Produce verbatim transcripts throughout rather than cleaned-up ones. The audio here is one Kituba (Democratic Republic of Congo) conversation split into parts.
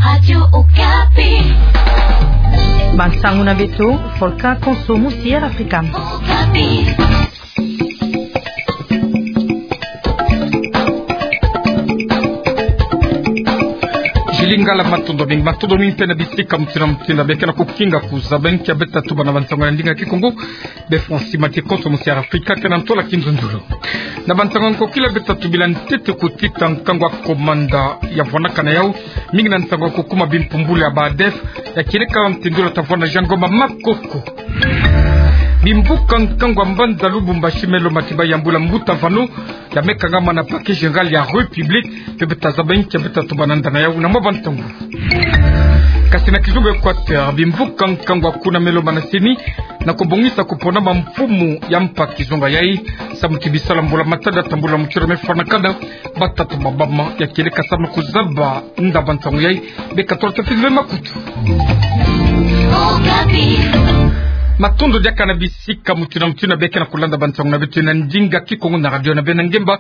Radio Okapi. Bansangu na beto, Volcan Konso, Musier Africa. Okapi. Jilingala, matondo mingi, matondo mingi mpe na bisika mutindu na mutindu beke na kukinga kuzaba nkia beta tubana bansangu na ndinga Kikongo. Be Francis Matikonso, Musier Africa, ke na ntwala kinzonzolo. Na bansangu ya nkokila beta tubila ntete kutita nkangu wa komanda ya vwanakana yau, mingi na nsangu ya kukuma bimpumbulu ya ba ADF, ya kieleka ntendula ta vwanda Jean Ngoma Makoko. Bimvuka nkangu ya mbanza Lubumbashi melo matiba ya mbula mbuta vano, ya meka ngama na parquet général ya République, mpe beta zaba nkia beta tubana ndana yau na mwa bantangu. Kasi na kizunga Équateur, bimvuka nkangu ya kuna melo mana CENI, na kubongisa kupona mamfumu ya mpa kizunga yai, samu ti bisala mbula matadi ya tambula mutindu mefwanakana, batata ba mama ya kieleka samu na kuzaba nda bansangu yai, beka tolo tafizwe makutu. Matondo diaka na bisika mutindu na mutindu beke na kulanda bansangu na beto na ndinga Kikongo na radio na bena ngemba,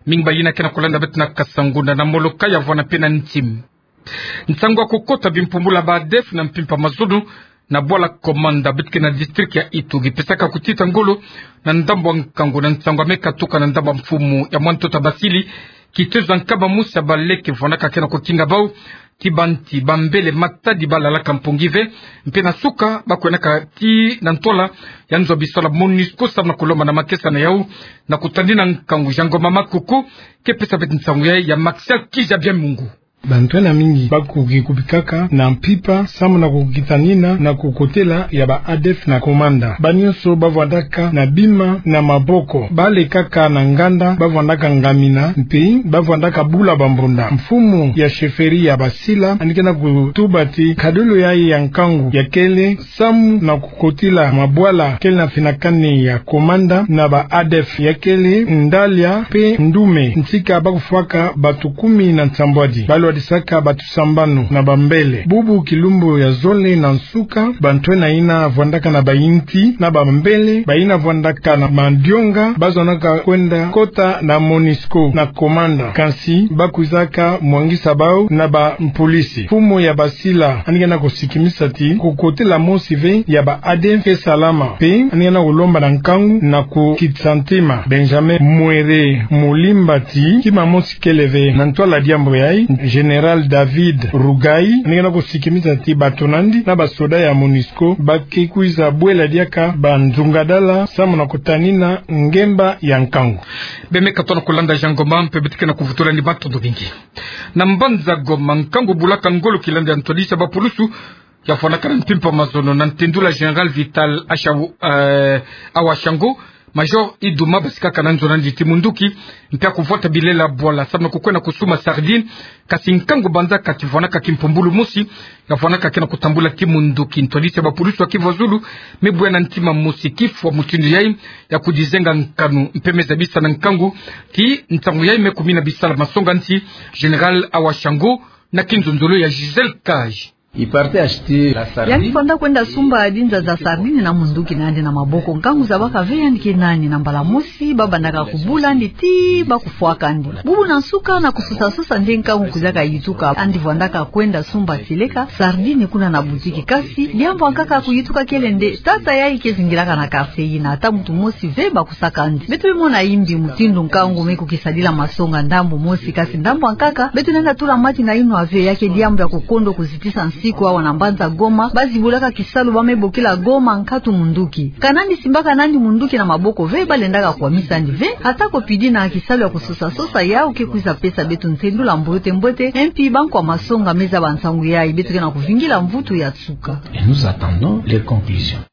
mingi bayina ke na kulanda beto na Kasanguna, na Molokai ya vwana mpe na Ntim. Nsangu ya kukota bimpumbulu ya ba ADF na mpimpa mazono na bwala Komanda beto ke na district ya Itu, gipesaka kutita ngolo na ndambu ya nkangu na nsangu ya meka tuka na ndambu ya mfumu ya mwa ntoto ya basili, kitezo ya nkaba mosi ya baleke vwanaka ke na kukinga bau, ti banti bambele matadi balalaka mpungi ve, mpe na suka bakwenaka ti na ntwala ya nzo ya bisala MONUSCO samu na kulomba na makesa na yau na kutadina nkangu Jean Ngoma Makoko, ke pesa beto nsangu yai ya Martial Kiza Bya Mungu. Bantu ena mingi bakoki kubikaka na mpimpa samu na kukitanina na kukotela ya ba ADF na Komanda. Banyonso bavwandaka na bima na maboko, balekaka na nganda, bavwandaka ngamina, mpe bavwandaka bula bambonda. Mfumu ya chefferie ya Basila andi ke na kutuba ti nkadolo yai ya nkangu yakele samu na kukotila mabwala kele na finakani ya Komanda na ba ADF, yakele Ndalia mpe Ndume, ntika bakufwaka batu kumi na nsambwadi, balwadisaka batu sambanu na bambele. Bubu kilumbu ya zole na nsuka, bantu ena yina vwandaka na bayinti na bambele, bayina vwandaka na madionga, bazonaka kwenda kota na MONUSCO na Komanda, kansi bakwizaka mwangisa bau na bampolisi. Mfumu ya Basila andi ke na kusikimisa ti kukotela mosi ve ya ba ADF ke salama, mpe andi ke na kulomba na nkangu na kukitisa ntima. Benjamin Mwere Mulimba ti kima mosi kele ve na ntwala diambu yai. Général David Rugai andi ke na kusikimisa ti bato nandi na basoda ya MONUSCO bake kwiza bwela diaka banzungadala samu na kutanina ngemba ya nkangu. Bemeka tona kulanda Jean Ngoma, mpe beto ke na kuvutula ni matondo mingi. Na mbanza Goma, nkangu bulaka ngolo kilandia ntwadisi ya bapulusu ya fwanakana mpimpa mazono na ntendula Général Vital Asha-, eh, Awashango, Major Iduma, basikaka na nzo nandi ti munduki, mpe ya kuvwata bilela bwala samu na kukwenda kusumba sardine, kasi nkangu banzaka ti vwanaka kimpumbulu mosi ya fwanaka ke na kutambula ti munduki. Ntwadisi ya bapulusu ya Kivu ya Zulu me bwena ntima mosi kifwa mutindu yai ya kudizenga nkanu, mpe me zabisa na nkangu ti nsangu yai me kumina bisala masonga nti Général Awashango, na kinzonzolo ya Gisèle Cage. Il partait acheter la sardine. Yandi fwanda kwenda sumba dinza za sardine na munduki nandi na maboko. Nkangu zabaka ve yandi ke nani, na mbala mosi babandaka kubula yandi ti bakufwaka yandi. Bubu na nsuka na kusosa-sosa nde nkangu kwizaka yituka. Yandi fwandaka kwenda sumba tieleka sardine kuna na boutique. Kasi diambu ya nkaka kuyituka kele nde tata yai ke zingilaka na quartier yina, ata muntu mosi ve bakusaka yandi. Beto me mona yimbi mutindu nkangu me kukisadila masonga ndambu mosi, kasi ndambu ya nkaka beto lenda tula mati na yinwa ve, ya ke diambu ya kukondo kuzitisa nsiku awa na mbanza Goma. Bazi bulaka kisalu ba me bokila Goma nkatu munduki. Ka nandi simbaka nandi munduki na maboko ve, balendaka kwamisa yandi ve. Ata ko pidi na kisalu ya kusosa-sosa yau ke kwiza pesa beto ntendula mbote-mbote, mpi bankwa masonga me zaba nsangu yai, beto ke na kuvingila mvutu ya nsuka. Et nous attendons les conclusions.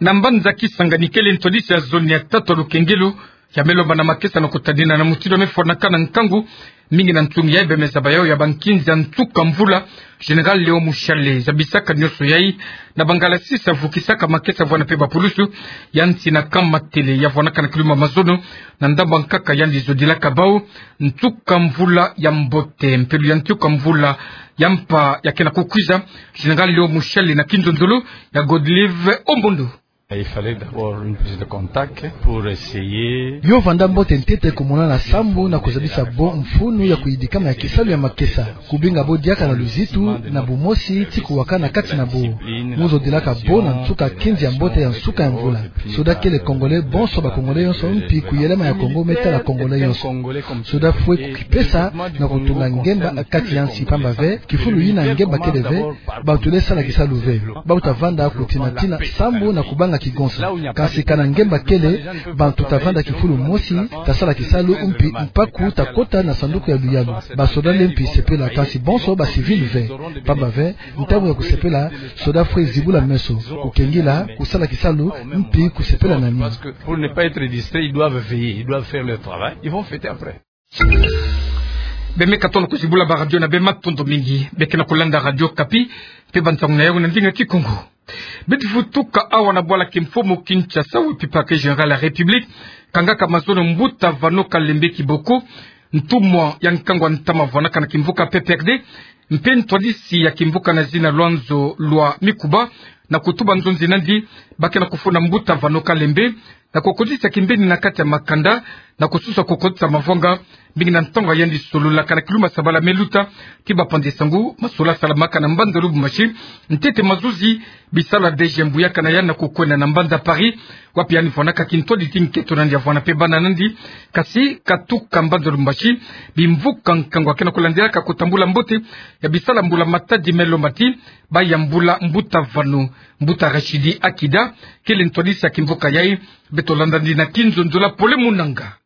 Na mbanza Kisangani kele ntwadisi ya zone ya tatu ya lukengelo ya me lomba na makesa na kutadina na mutindu me fwanakana nkangu, mingi na ntungi yai be me zaba yau ya bankinzi ya nsuka mvula, Général Léon Mushale, zabisaka nyonso yai na bangala sisa vukisaka makesa vwana mpe bapulusu ya nsi na Kamatele ya fwanakana kilumbu ya mazono, na ndambu ya nkaka yandi zodilaka bau nsuka mvula ya mbote, mpelo ya nsuka mvula ya mpa ya ke na kukwiza. Général Léon Mushale na kinzonzolo ya Godlive Ombondo. Il fallait d'abord une prise de contact pour essayer. Yo vanda mbote ntete kumonana sambu na kuzabisa bo mfunu ya kuyidikama ya kisalu ya makesa. Kubinga bo diaka na luzitu, na bumosi, ti kuwakana kati na bo. Mu zodilaka bo na nsuka kinzi ya mbote ya nsuka ya mvula. Soda kele Congolais bonso, ba Congolais yonso, mpi kuyelema ya Kongo me tala Congolais yonso. Soda fwe kukipesa na kutunga ngemba kati ya nsi, pamba ve kifulu yina ngemba kele ve, bantu le sala kisalu ve. Bawu ta vanda kutinatina sambu na kubanga kigonsa. Kansi kana ngemba kele, bantu ta vanda kifulu mosi, ta sala kisalu, mpi mpaku ta kota na sanduku ya luyalu. Ba soda le mpi sepela, kansi bonso ba civil ve. Pamba ve, ntangu ya kusepela, soda fwe zibula meso, kukengila, kusala kisalu, mpi kusepela na nima. Parce que pour ne pas être distrait, ils doivent veiller, ils doivent faire leur travail. Ils vont fêter après. Be me katono kuzibula ba radio na be, matondo mingi. Be ke na kulanda Radio Okapi, mpe bansangu na yau na ndinga Kikongo. Beto fweti tuka awa na bwala kimfumu Kinshasa, wapi Parquet Général ya République kangaka mazono mbuta Vano Kalembe Kiboko, ntumwa ya nkangu a ntama vwanaka na kimvuka P P R D, mpe ntwadisi ya kimvuka na zina Lwanzo lwa Mikuba, na kutuba nzonzi nandi ba ke na kufunda mbuta Vano Kalembe, na kukotisa kimbeni na kati ya makanda, na kususa kukotisa mavwanga, mingi na ntangu ya yandi sololaka na kiluma sabala me luta, ti ba panzi sangu, masola salamaka na mbanza Lubumbashi, ntete mazuzi, bisalu ya D G mbuyaka na yandi na kukwenda na mbanza Paris, wapi yandi vwanaka kintwadi ti nketo nandi ya vwana mpe bana nandi, kasi katuka mbanza Lubumbashi, bimvuka nkangu ke na kulandilaka kutambula mbote ya bisalu ya mbula matadi me lomba ti ba yambula mbuta Vano. Mbuta Rachidi Akida kele ntwadisi ya kimvuka yai. Beto landa nandi na kinzonzolo. Pole Munanga.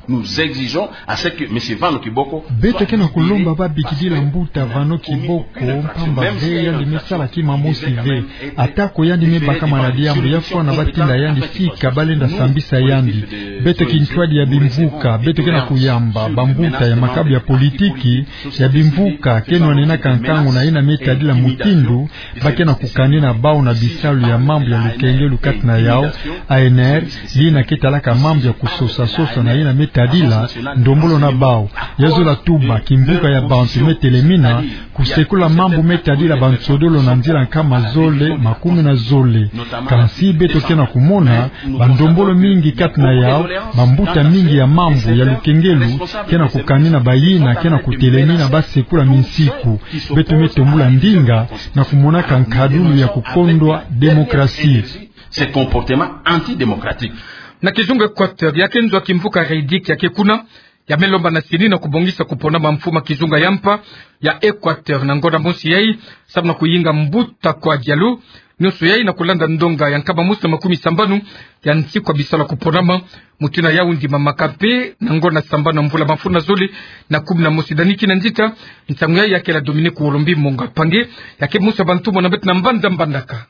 Nous exigeons à ce que Monsieur Vano Kiboko... Beto ke na kulomba ba bikidila mbuta Vano Kiboko, mpamba ve yandi me sala kima mosi ve. Atako yandi me bakama na diambu, ya fwana ba tinda yandi fika, ba lenda sambisa yandi. Beto kintwadi ya bimvuka, beto ke na kuyamba bambuta ya makabu ya politiki ya bimvuka ke nwanenaka nkangu na yina me tadila mutindu ba ke na kukanina bawu na bisalu ya mambu ya lukengelu kati na yau, A N R, yina ke talaka mambu ya kusosa-sosa na yina me tadila ndombolo na bawu. Ya zola tuba, kimvuka ya bantu me telemina kusekula mambu me tadila bansodolo na nzila nkama zole, makumi na zole. Kansi beto ke na kumona bandombolo mingi kati na yau, bambuta mingi ya mambu ya lukengelu ke na kukanina bayina ke na kutelemina ba sekula minsiku. Beto me tombula ndinga na kumonaka nkadulu ya kukondwa démocratie. Ce comportement antidémocratique. Na kizunga Équateur, ya ke nzo ya kimvuka REDIC ya ke kuna, ya me lomba na CENI na kubongisa kuponama mfumu ya kizunga ya mpa ya Équateur na ngonda mosi yai, samu na kuyinga mbuta kwa dialu. Nyonso yai na kulanda ndonga ya nkama mosi na makumi sambanu ya nsiku ya bisalu ya kuponama. Mutindu yau ndimamaka mpe na ngonda sambanu ya mvula mafunda zole na kumi na mosi. Dani Kinanzita, nsangu yai ya kele ya Dominique Wolombi Monga Pange, ya ke mosi ya bantu mona beto na mbanza Mbandaka.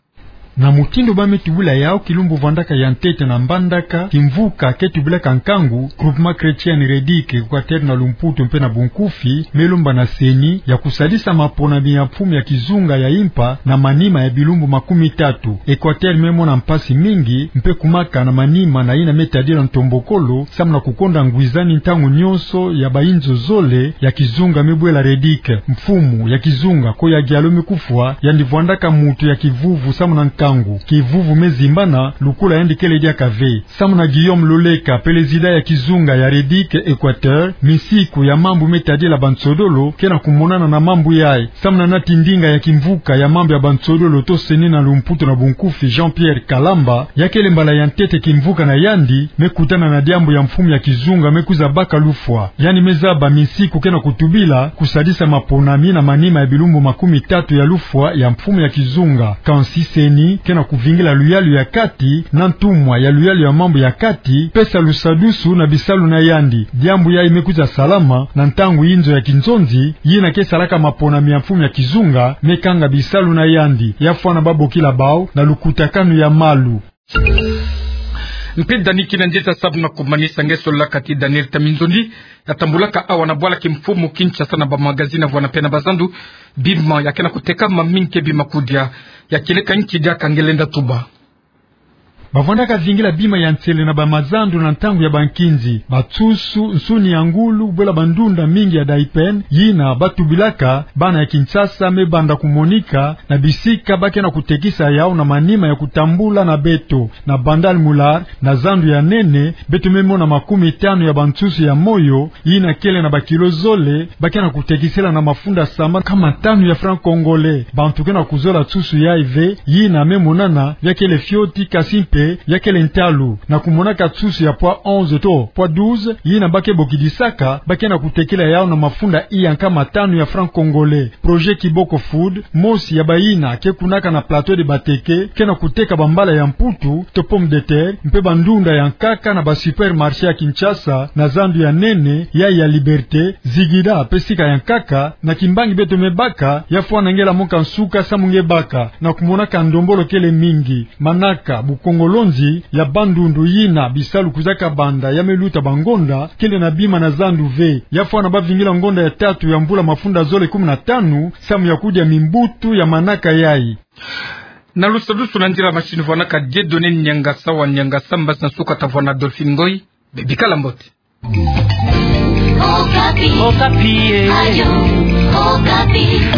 Na mutindu ba me tubula yau, kilumbu vandaka ya ntete na Mbandaka, kimvuka ke tubilaka nkangu, Groupement Chrétien REDIC Équateur na lumputu mpe na bunkufi, me lomba na CENI ya kusadisa maponami ya mfumu ya kizunga ya mpa na manima ya bilumbu makumi tatu. Équateur me mona mpasi mingi, mpe kumaka na manima na yina me tadila ntombokolo, samu na kukonda ngwizani ntangu nyonso ya bayinzo zole ya kizunga me bwela REDIC. Mfumu ya kizunga ko ya dialu me kufwa, yandi vwandaka muntu ya kivuvu samu na nkangu. Kivuvu me zimbana, lukula yandi kele diaka ve. Samu na Guillaume Loleka, pelezida ya kizunga ya REDIC Équateur, minsiku ya mambu me tadila bansodolo ke na kumonana na mambu yai. Samu na nati ndinga ya kimvuka ya mambu ya bansodolo to CENI na lumputu na bunkufi, Jean-Pierre Kalamba, ya kele mbala ya ntete kimvuka na yandi me kutana na diambu ya mfumu ya kizunga me kwiza baka lufwa. Yandi me zaba minsiku ke na kutubila kusadisa maponami na manima ya bilumbu makumi tatu ya lufwa ya mfumu ya kizunga. Kansi CENI ke na kuvingila luyalu ya kati na ntumwa ya luyalu ya mambu ya kati, pesa lusadusu na bisalu na yandi. Diambu yai me kwiza salama na ntangu yinzo ya kinzonzi, yina ke salaka maponami ya mfumu ya kizunga me kanga bisalu na yandi. Ya fwana ba bokila bau na lukutakanu ya malu. Mpe Dani Kinanzita, samu na kumanisa, nge sololaka ti Daniel Taminzondi, ya tambulaka awa na bwala kimfumu Kinshasa na ba magazine ya vwana mpe na bazandu. Bima ya ke na kutekama mingi ke bima kudia, ya kieleka nki diaka nge lenda tuba. Bavwandaka zingila bima ya nsele na bamazandu na ntangu ya bankinzi. Bansusu, nsuni ya ngulu, bwela bandunda mingi ya daipene, yina batubilaka, bana ya Kinshasa me banda kumonika na bisika ba ke na kutekisa yau na manima ya kutambula na beto. Na Bandal Mular, na zandu ya nene, beto me mona makumi tanu ya bansusu ya moyo, yina kele na bakilo zole, ba ke na kutekisela na mafunda sambanu kama tanu ya franc congolais. Bantu ke na kuzola nsusu yayi ve, yina me monana ya kele fioti kasi mpe ya kele ntalu. Na kumonaka nsusu ya poids onze to poids douze, yina ba ke bokidisaka, ba ke na kutekila yau na mafunda iya nkama tanu ya franc congolais. Projet Kiboko Food, mosi ya bayina ke kunaka na Plateau de Bateke, ke na kuteka bambala ya mputu to pomme de terre, mpe bandunda ya nkaka na basupermarché ya Kinshasa, na zandu ya nene, yayi ya Liberté, Zigida, mpe sika ya nkaka, na kimbangi beto me baka, ya fwana ngela moka nsuka samu nge baka, na kumonaka ndombolo kele mingi. Manaka, bukongolonzi ya bandundu yina bisalu kwiza kabanda ya me luta bangonda, kele na bima na zandu ve. Ya fwana ba vingila ngonda ya tatu ya mvula mafunda zole kumi na tanu, samu ya kudia mimbutu ya manaka yayi. Na lusadusu na nzila masini vwanaka Dieudonné Niangasa wa Niangasa, mbasi na suka ta vwana Adolphine Ngoyi, bikala mbote. Okapi. Okapi, eh. Ayo, Okapi.